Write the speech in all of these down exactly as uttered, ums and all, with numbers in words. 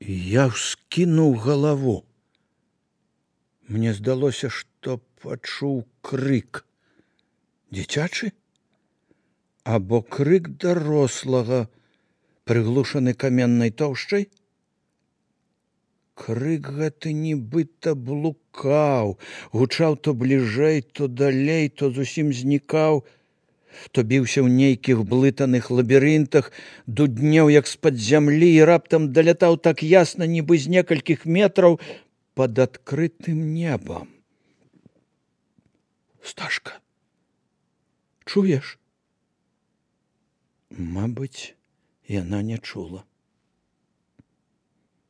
Я ўскінуў галаву. Мне здалося, што пачуў крык. Дзіцячы? Або крык дарослага, прыглушаны каменнай тоўшчай? Крык гэты нібыта блукаў, гучаў то бліжэй, то далей, то зусім знікаў, то біўся ў нейкіх блытаных лабірынтах, дуднеў як з-пад зямлі і раптам далятаў так ясна, нібы з некалькіх метраў пад адкрытым небам. Сташка, чуеш? Мабыць, яна не чула.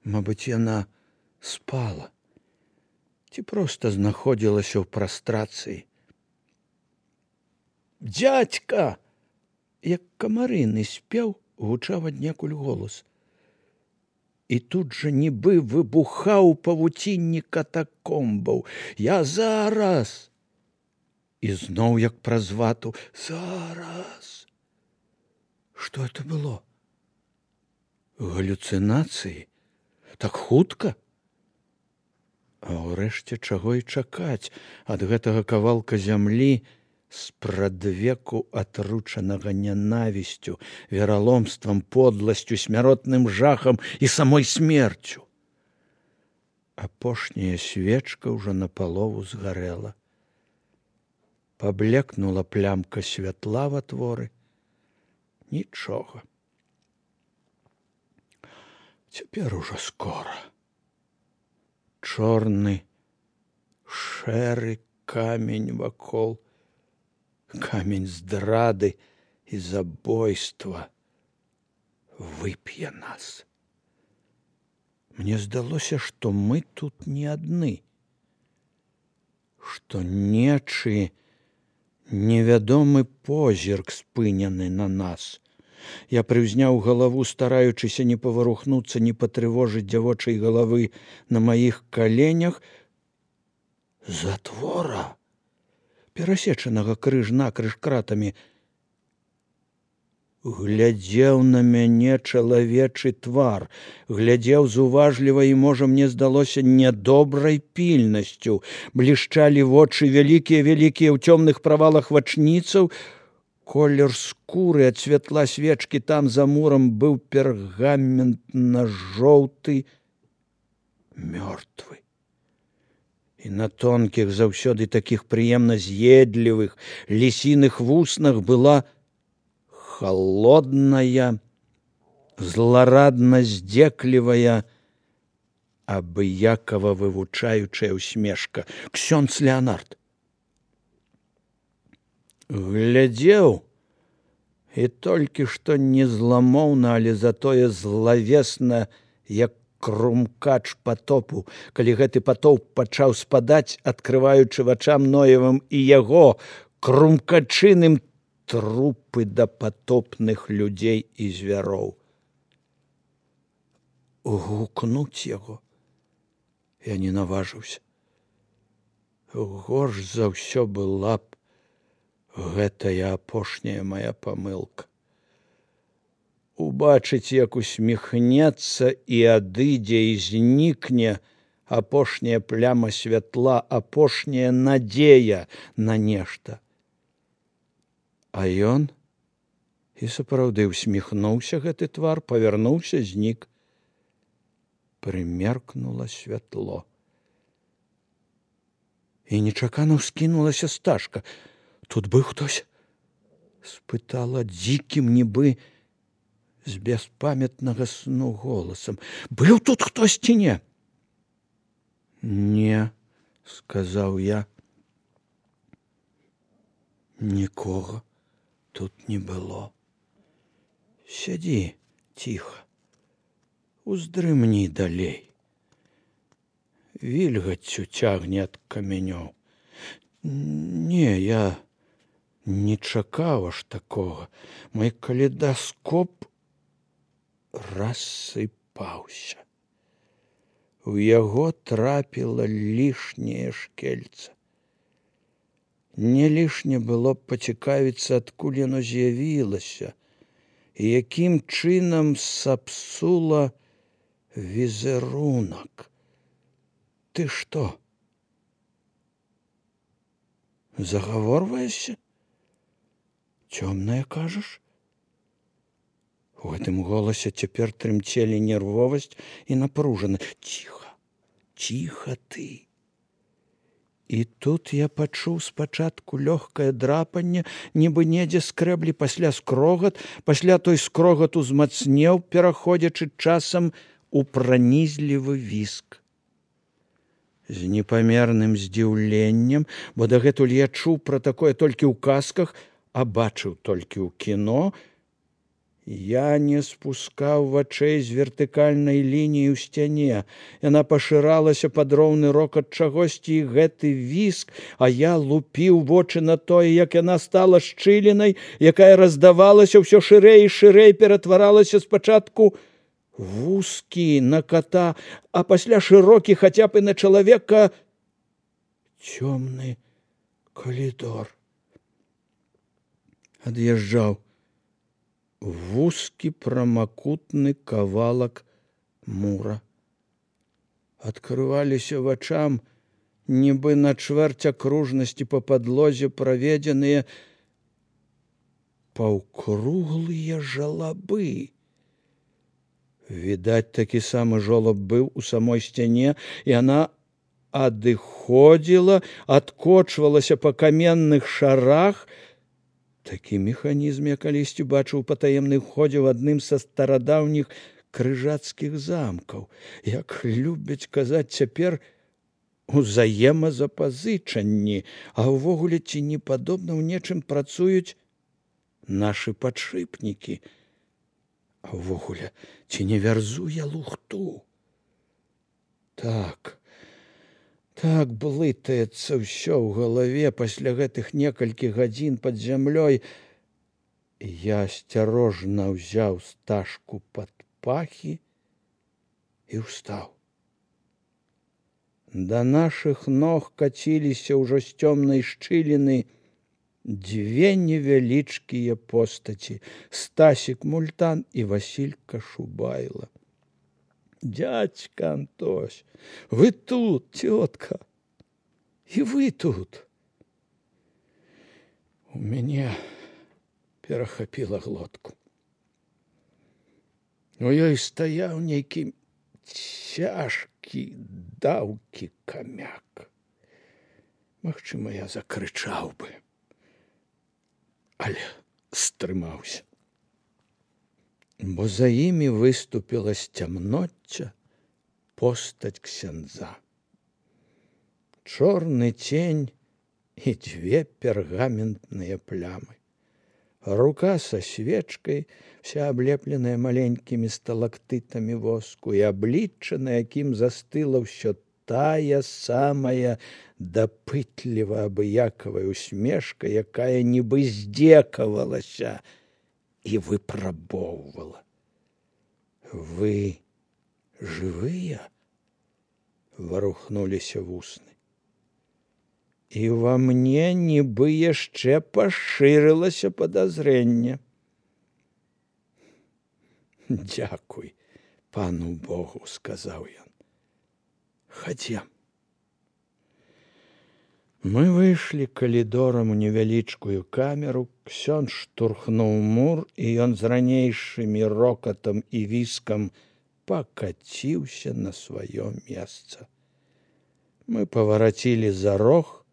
Мабыць, яна спала ці проста знаходзілася ў прастрацыі. Дзядзька! Як камарыны спеў, гучаў аднекуль голас. І тут жа нібы выбухаў у павуцінні катакомбаў. Я зараз! І зноў як праз вату. Зараз! Што это было? Галюцынацыі? Так хутка? А ўрэшце чаго і чакаць ад гэтага кавалка зямлі, спрадвеку атручанага нянавісцю, вераломствам, подласцю, смяротным жахам і самой смерцю. Апошняя свечка ўжо напалову згарэла. Паблекнула плямка святла ва творы. Нічога. Цяпер ужо скора. Чорны, шэры камень вакол, камень здрады і забойства вып'е нас. Мне здалося, што мы тут не адны, што нечы невядомы позірк спынены на нас. Я прыўзняў галаву, стараючыся не паварухнуцца, не патрывожыць дзявочай галавы на маіх каленях. Затвора, перасечанага крыж-накрыж кратамі, глядзеў на мяне чалавечы твар, глядзеў з уважлівай і, можа, мне здалося, нядобрай пільнасцю. Блішчалі вочы вялікія-вялікія ў цёмных правалах вачніцаў. Колер скуры ад святла свечкі там за мурам быў пергаментна-жоўты, мёртвы. І на тонкіх, заўсёды такіх прыемна з'едлівых, лісіных вуснах была холодная, зларадна-здзеклівая, абыякава вывучаючая усмешка. Ксёндз Леанард. Глядзеў і толькі што не зламоўна, але затое злавесна, як крумкач патопу, калі гэты патоп пачаў спадаць, адкрываючы вачам Ноевым і яго крумкачыным трупы дапатопных людзей і звяроў. Гукнуць яго я не наважыўся. Горш за ўсё была б гэтая апошняя мая памылка. Убачыць, як усміхнецца і адыдзе і знікне апошняя пляма святла, апошняя надзея на нешта. А ён і сапраўды усміхнуўся гэты твар, павярнуўся, знік. Прымеркнула святло. І нечакана ўскінулася Сташка. Тут быў хтось? Спытала дзікім, нібы з беспамятнага сну голасам. Быў тут хтось ці не? Не, сказаў я. Нікога тут не было. Сядзі ціха, уздрымні далей. Вільгаццю цягне ад камянёў. Не, я не чакаў аж такога. Мой калейдаскоп рассыпаўся. У яго трапіла лішняе шкельца. Не лішне было б пацікавіцца, адкуль яно з'явілася і якім чынам сапсула візерунак. Ты што? Загаворваешся? Цёмнае, кажаш? У гэтым голасе цяпер трымцелі нервовасць і напружанасць. Ціха, ціха ты. І тут я пачуў спачатку лёгкае драпанне, нібы недзе скрэблі, пасля скрогат, пасля той скрогат узмацнеў, пераходзячы часам у пранізлівы віск. З непамерным здзіўленнем, бо дагэтуль я чуў пра такое толькі ў казках, а бачыў толькі ў кіно, я не спускаў вачэй з вертыкальнай лініі ў сцяне. Яна пашыралася пад роўны рокат чагосьці, і гэты віск, а я лупіў вочы на тое, як яна стала шчылінай, якая раздавалася ўсё шырэй і шырэй, ператваралася спачатку вузкі на кота, а пасля шырокі хаця б і на чалавека. Цёмны калідор. Ад'язджаў вузкі прамакутны кавалак мура. Адкрываліся вачам, нібы на чвэрць акружнасці па падлозе праведзеныя паўкруглыя жалабы. Відаць, такі самы жолаб быў у самой сцяне, і яна адыходзіла, адкочвалася па каменных шарах. Такі механізм я калісьці бачыў у патаемным ходзе ў адным са старадаўніх крыжацкіх замкаў. Як любяць казаць цяпер, узаемазапазычанні, а ўвогуле ці не падобна ў нечым працуюць нашы падшыпнікі. А ўвогуле, ці не вярзу я лухту? Так, так блытаецца ўсё ў галаве пасля гэтых некалькіх гадзін пад зямлёй. Я асцярожна ўзяў стажку пад пахі і ўстаў. Да нашых ног каціліся ўжо з цёмнай шчыліны дзве невялічкія постаці — Стасік Мультан і Васілька Шубайла. Дядька Антось, вы тут, тетка, и вы тут. У мяне перахапіла глотку. У ёй стаяў нейкі цяжкі, даўкі камяк. Магчыма, я закрычаў бы, але стрымаўся. Бо за імі выступіла з цямноцця постаць ксяндза. Чорны цень і дзве пергаментныя плямы. Рука са свечкай, вся аблепленая маленькімі сталактытамі воску, і аблічча, на якім застыла ўсё тая самая дапытліва абыякавая усмешка, якая нібы здзекавалася і выпрабоўвала. Вы жывыя? Варухнуліся вусны. І ва мне нібы яшчэ пашырылася падазрэнне. Дзякуй пану Богу, сказаў ён. Хадзем. Мы выйшлі калідорам у невялічкую камеру, ксёндз штурхнуў мур, і ён з ранейшымі рокатам і віскам пакаціўся на сваё месца. Мы паварацілі за рог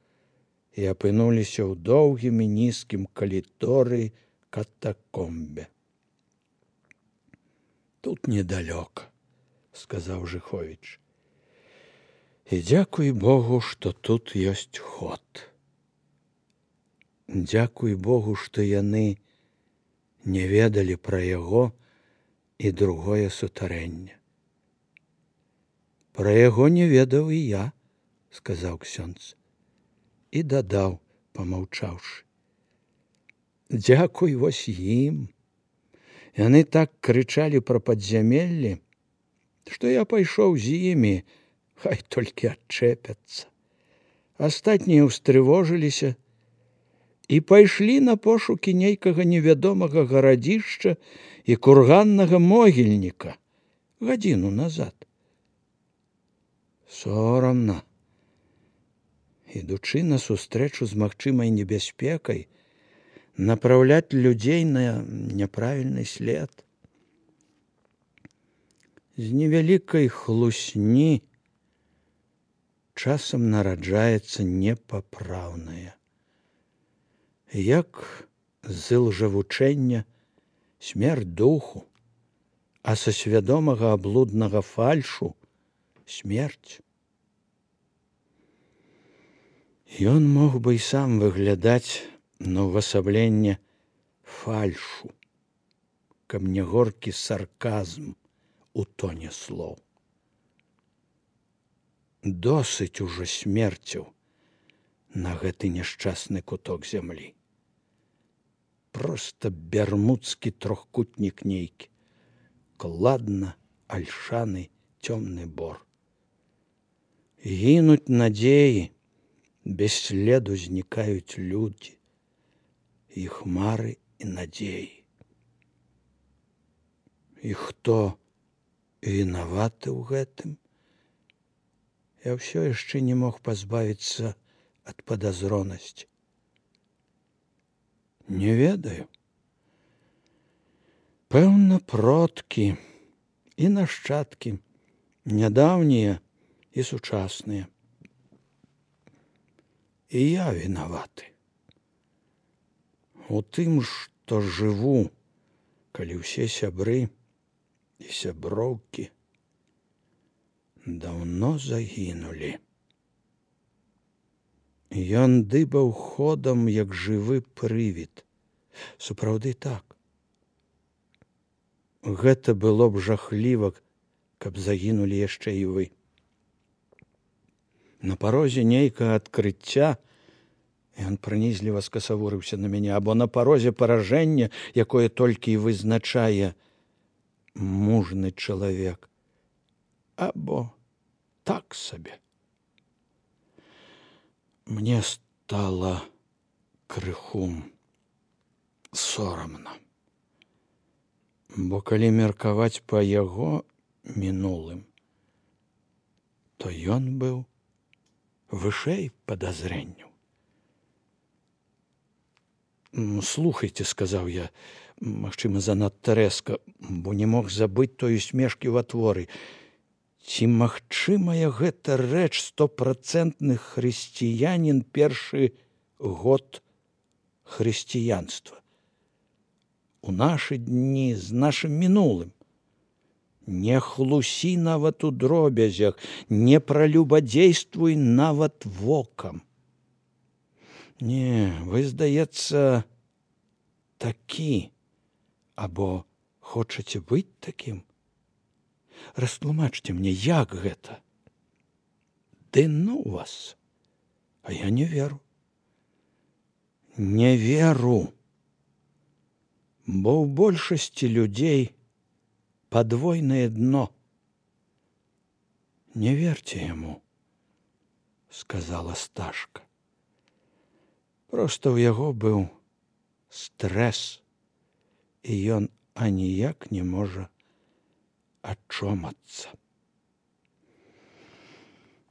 і апынуліся ў доўгім і нізкім калідоры катакомбе. Тут недалёка, сказаў Жыховіч. І дзякуй Богу, што тут ёсць ход. Дзякуй Богу, што яны не ведалі пра яго і другое сутарэнне. Пра яго не ведаў і я, сказаў ксёндз. І дадаў, памаўчаўшы. Дзякуй вось ім. Яны так крычалі пра падзямеллі, што я пайшоў з імі, хай толькі адчэпяцца. Астатнія ўстрывожыліся і пайшлі на пошукі нейкага невядомага гарадзішча і курганнага могільніка, гадзіну назад. Сорамна. Ідучы на сустрэчу з магчымай небяспекай, направляць людзей на няправільны след. З невялікай хлусні часам нараджаецца непапраўнае. Як з ілжавучэння смерць духу, а са свядомага аблуднага фальшу смерць. Ён мог бы і сам выглядаць на ўвасабленне фальшу, каб не горкі сарказм у тоне слоў. Досыць ужо смерцяў на гэты няшчасны куток зямлі. Проста бермудскі трохкутнік нейкі, кладна альшаны цёмны бор. Гінуць надзеі, без следу знікаюць людзі, і хмары, і надзеі. І хто вінаваты ў гэтым? Я ўсё яшчэ не мог пазбавіцца ад падазронасці. Не ведаю. Пэўна, продкі і нашчадкі, нядаўнія і сучасныя. І я вінаваты. У тым, што жыву, калі ўсе сябры і сяброўкі даўно загінулі. Ён дыбаў ходам, як жывы прывід. Сапраўды так. Гэта было б жахліва, каб загінулі яшчэ і вы. На парозе нейкага адкрыцця ён пранізліва скасавурыўся на мяне, або на парозе паражэння, якое толькі і вызначае мужны чалавек, або так сабе. Мне стала крыху сорамна, бо калі меркаваць па яго мінулым, то ён быў вышэй падазрэнняў. «Слухайце», — сказаў я, магчыма, занадта рэзка, бо не мог забыць той усмешкі ў атворы. Ці магчымая гэта рэч стопрацэнтны хрысціянін першы год хрысціянства? У нашы дні з нашым мінулым. Не хлусі нават у дробязях, не пралюбадзействуй нават вокам. Не, вы, здаецца, такі, або хочаце быць такім? Растлумачце мне, як гэта? Ды ну вас, а я не веру. Не веру, бо ў большасці людзей падвойнае дно. Не верьце яму, сказала Сташка. Проста ў яго быў стрэс, і ён аніяк не можа ачомацца.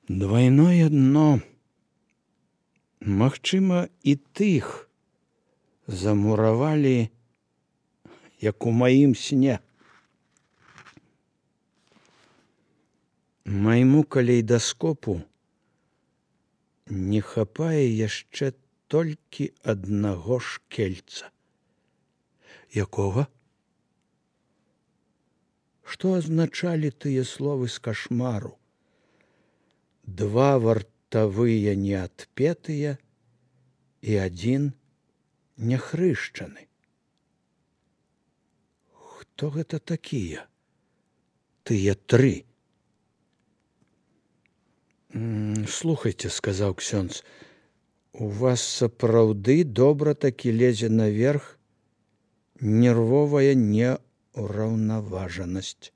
Двайное дно. Магчыма, і тых замуравалі, як у маім сне. Майму калейдаскопу не хапае яшчэ толькі аднаго шкельца. Якога? Што азначалі тыя словы з кашмару? Два вартавыя неадпетыя і адзін няхрышчаны. Хто гэта такія? Тыя тры. Слухайце, сказаў ксёндз, у вас сапраўды добра такі лезе наверх нервовая неўраўнаважанасць.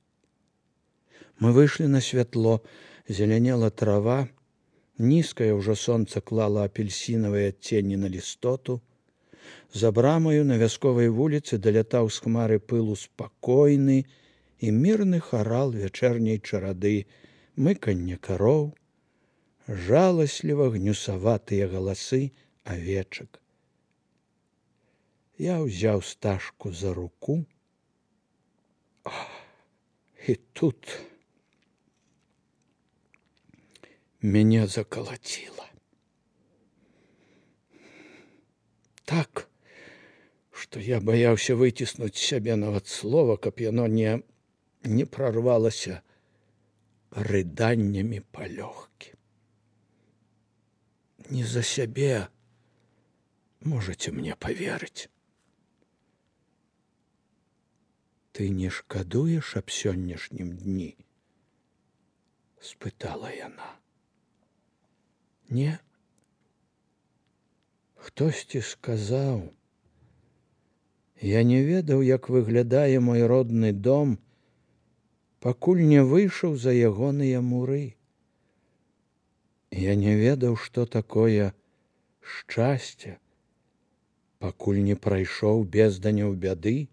Мы выйшлі на святло, зелянела трава, нізкае ўжо сонца клала апельсінавыя адценні на лістоту. За брамаю на вясковай вуліцы далятаў з хмары пылу спакойны і мірны харал вячэрняй чарады, мыканне кароў, жаласліва гнюсаватыя галасы авечак. Я ўзяў Сташку за руку, і тут мяне закалаціла. Так, што я баяўся выціснуць сябе нават слова, каб яно не, не прарвалася рыданнямі палёгкі. Не за сябе, можаце мне паверыць. Ты не шкадуеш аб сённяшнім дні? Спытала яна. Не. Хтосьці сказаў. Я не ведаў, як выглядае мой родны дом, пакуль не выйшаў за ягоныя муры. Я не ведаў, што такое шчасце, пакуль не прайшоў безданяў бяды.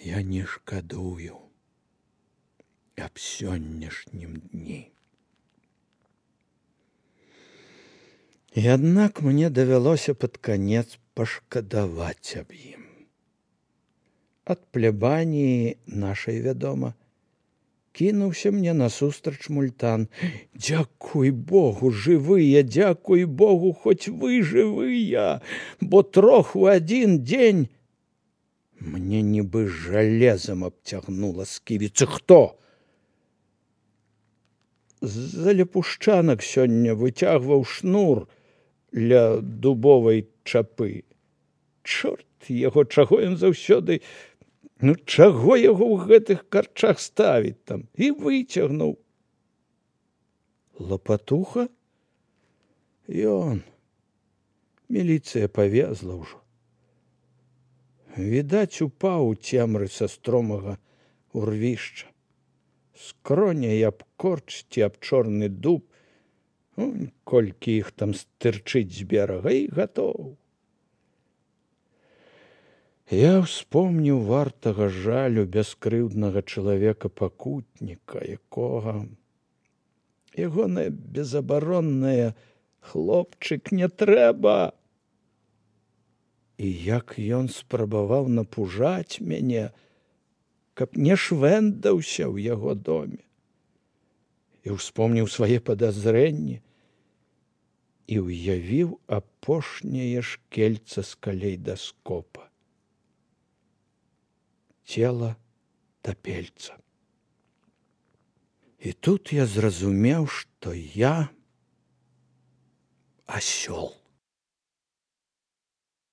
Я не шкадую аб сённяшнім дні. І аднак мне давялося пад канец пашкадаваць аб ім. Ад плебаніі нашай, вядома, кінуўся мне насустрач мультан. Дзякуй Богу, жывыя, дзякуй Богу, хоць вы жывыя, бо трох у адзін дзень мне нібы жалезам абцягнула сківіцы. Хто? З-за пушчанак сёння выцягваў шнур ля дубовай чапы. Чорт яго, чаго ён заўсёды, ну чаго яго ў гэтых карчах ставіць там? І выцягнуў. Лапатуха? Ён. Міліцыя павезла ўжо. Відаць, упаў у цемры са стромага урвішча. Скроня і аб корч ці аб чорны дуб, ну, колькі іх там стырчыць з берага, і гатоў. Я ўспомніў вартага жалю бяскрыўднага чалавека-пакутніка, якога ягонае безабароннае хлопчык не трэба. І як ён спрабаваў напужаць мяне, каб не швэндаўся ў яго доме. І ўспомніў свае падазрэнні і ўявіў апошняе шкельца з калейдаскопа. Цела тапельца. І тут я зразумеў, што я асёл.